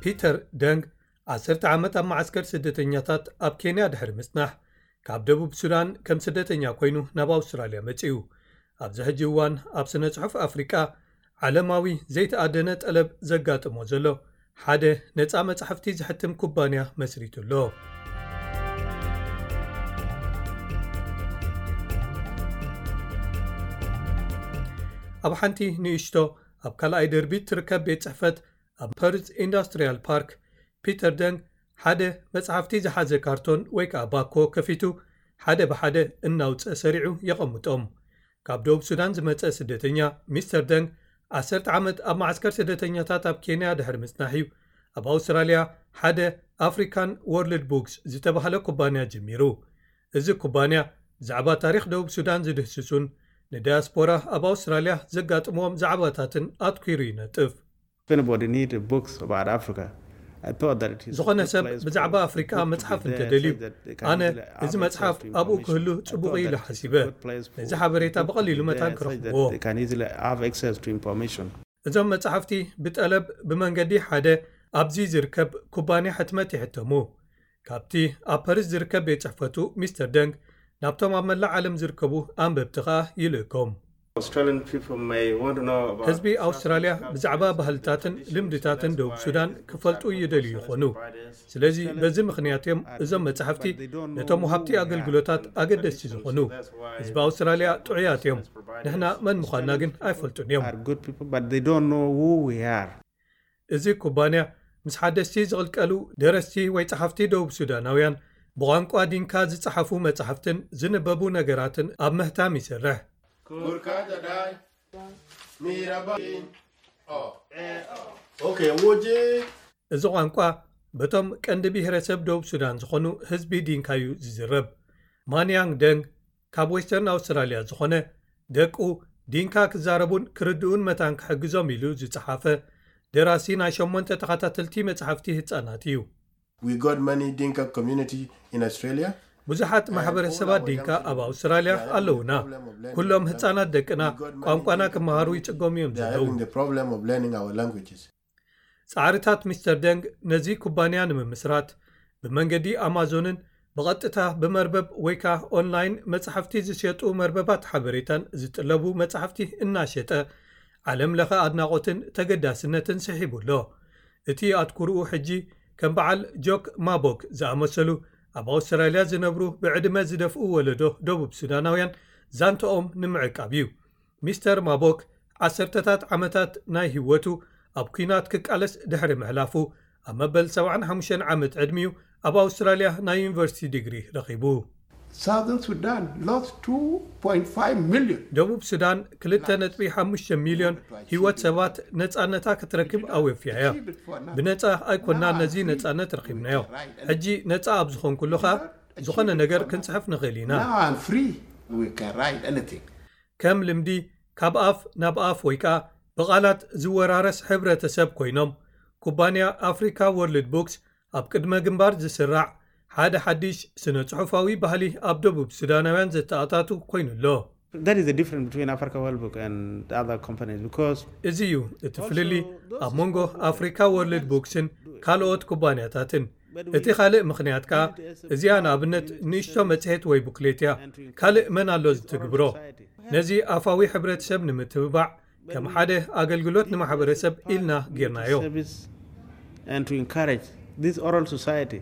ፒተር ደንግ ዓሰርተ ዓመት ኣብ መዓስከር ስደተኛታት ኣብ ኬንያ ድሕሪ ምጽናሕ፣ ካብ ደቡብ ሱዳን ከም ስደተኛ ኮይኑ ናብ ኣውስትራልያ መጺኡ። ኣብዚ ሕጂ እዋን ኣብ ስነ ጽሑፍ ኣፍሪቃ ዓለማዊ ዘይተኣደነ ጠለብ ዘጋጥሞ ዘሎ ሓደ ነጻ መጻሕፍቲ ዝሕትም ኩባንያ መስሪቱ ኣሎ። ኣብ ሓንቲ ንእሽቶ ኣብ ካልኣይ ደርቢ ትርከብ ቤት ጽሕፈት ኣብ ፐርዝ ኢንዱስትሪያል ፓርክ፣ ፒተር ደንግ ሓደ መጽሓፍቲ ዝሓዘ ካርቶን ወይ ከኣ ባኮ ከፊቱ ሓደ ብሓደ እናውጸ ሰሪዑ የቐምጦም። ካብ ደቡብ ሱዳን ዝመጸ ስደተኛ ሚስተር ደንግ ዓሰርተ ዓመት ኣብ መዓስከር ስደተኛታት ኣብ ኬንያ ድሕሪ ምጽናሕ እዩ ኣብ ኣውስትራልያ ሓደ ኣፍሪካን ወርልድ ቡክስ ዝተባህለ ኩባንያ ጀሚሩ። እዚ ኩባንያ ብዛዕባ ታሪኽ ደቡብ ሱዳን ዝድህስሱን ንዳያስፖራ ኣብ ኣውስትራልያ ዘጋጥምዎም ዛዕባታትን ኣትኲሩ ይነጥፍ። If anybody need books about Africa, I thought that it is a ዝኾነ good ሰብ place for ብዛዕባ the ኣፍሪቃ book to be መጽሓፍ there, እንተደልዩ such that they can ኣነ easily have እዚ መጽሓፍ access to ኣብኡ information. ክህሉ I ጽቡቕ thought ኢሉ that it's a ሓሲበ። good place for ነዚ the ሓበሬታ book to ብቐሊሉ be መታን there, such that ክረኽብዎ። they can easily have access to information. እዞም መጻሕፍቲ ብጠለብ ብመንገዲ ሓደ ኣብዚ ዝርከብ ኩባንያ ሕትመት ይሕተሙ። ካብቲ ኣብ ፓሪስ ዝርከብ ቤት ጽሕፈቱ ሚስተር ደንግ ናብቶም ኣብ መላእ ዓለም ዝርከቡ ኣንበብቲ ኸኣ ይልእኮም። Australian people may want to know about ህዝቢ ኣውስትራልያ ብዛዕባ ባህልታትን ልምድታትን ደቡብ ሱዳን ክፈልጡ ይደልዩ ይኾኑ። ስለዚ በዚ ምኽንያት እዮም እዞም መጻሕፍቲ ነቶም ወሃብቲ ኣገልግሎታት ኣገደስቲ ዝኾኑ። ህዝቢ ኣውስትራልያ ጥዑያት እዮም። ንሕና መን ምዃንና ግን ኣይፈልጡን እዮም። Are good people, but they don't know who we are. እዚ ኩባንያ ምስ ሓደስቲ ዝቕልቀሉ ደረስቲ ወይ ጸሓፍቲ ደቡብ ሱዳናውያን ብቋንቋ ዲንካ ዝጸሓፉ መጻሕፍትን ዝንበቡ ነገራትን ኣብ ምህታም ይሰርሕ። Kurkata dai. Mira ba. Oh. Okay, woje. እዚ ቋንቋ በቶም ቀንዲ ብሄረሰብ ደቡብ ሱዳን ዝኾኑ ህዝቢ ዲንካ እዩ ዝዝረብ። ማንያንግ ደንግ ካብ ዌስተርን ኣውስትራልያ ዝኾነ ደቁ ዲንካ ክዛረቡን ክርድኡን መታን ክሕግዞም ኢሉ ዝጸሓፈ ደራሲ ናይ ሸሞንተ ተኸታተልቲ መጻሕፍቲ ህጻናት እዩ። We got many Dinka community in Australia. ብዙሓት ማሕበረሰባት ዲንካ ኣብ ኣውስትራልያ ኣለውና። ኩሎም ህጻናት ደቅና ቋንቋና ክመሃሩ ይጽገሙ እዮም They are ዘለዉ። having the problem of learning our languages. ጻዕርታት ሚስተር ደንግ ነዚ ኩባንያ ንምምስራት ብመንገዲ ኣማዞንን ብቐጥታ ብመርበብ ወይ ከኣ ኦንላይን መጻሕፍቲ ዝሸጡ መርበባት ሓበሬታን ዝጥለቡ መጻሕፍቲ እናሸጠ ዓለም ለኸ ኣድናቖትን ተገዳስነትን ስሒቡ ኣሎ። እቲ ኣትኩርኡ ሕጂ ከም በዓል ጆክ ማቦክ ዝኣመሰሉ ኣብ ኣውስትራልያ ዝነብሩ ብዕድመ ዝደፍኡ ወለዶ ደቡብ ሱዳናውያን ዛንታኦም ንምዕቃብ እዩ። ሚስተር ማቦክ ዓሰርተታት ዓመታት ናይ ህይወቱ ኣብ ኲናት ክቃለስ ድሕሪ ምሕላፉ ኣብ መበል ሰብዓን ሓሙሽተን ዓመት ዕድሚኡ ኣብ ኣውስትራልያ ናይ ዩኒቨርሲቲ ዲግሪ ረኺቡ። Southern Sudan lost two point five million. ደቡብ ሱዳን ክልተ ነጥቢ ሓሙሽተ ሚልዮን ህይወት ሰባት ነጻነታ ክትረክብ ኣወፍያ እያ። ብነጻ ኣይኮናን ነዚ ነጻነት ረኺብናዮ። ሕጂ ነጻ ኣብ ዝኾንኩሉ ኸኣ ዝኾነ ነገር ክንጽሕፍ ንኽእል ኢና። Now I'm free. We can write anything. ከም ልምዲ ካብ ኣፍ ናብ ኣፍ ወይ ከኣ ብቓላት ዝወራረስ ሕብረተሰብ ኮይኖም ኩባንያ ኣፍሪካ ወርልድ ቡክስ ኣብ ቅድመ ግንባር ዝስራዕ ሓደ ሓድሽ ስነ ጽሑፋዊ ባህሊ ኣብ ደቡብ ሱዳናውያን ዘተኣታቱ ኮይኑ ኣሎ። That is the difference between Africa World Book and other companies because እዚ እዩ እቲ ፍልልይ ኣብ መንጎ ኣፍሪካ ወርልድ ቡክስን ካልኦት ኩባንያታትን። እቲ ካልእ ምኽንያት ከኣ እዚኣ ንኣብነት ንእሽቶ መጽሔት ወይ ቡክሌት እያ። ካልእ መን ኣሎ ዝትግብሮ? ነዚ ኣፋዊ ሕብረተሰብ ንምትብባዕ ከም ሓደ ኣገልግሎት ንማሕበረሰብ ኢልና ጌርናዮ። service and to encourage this oral society.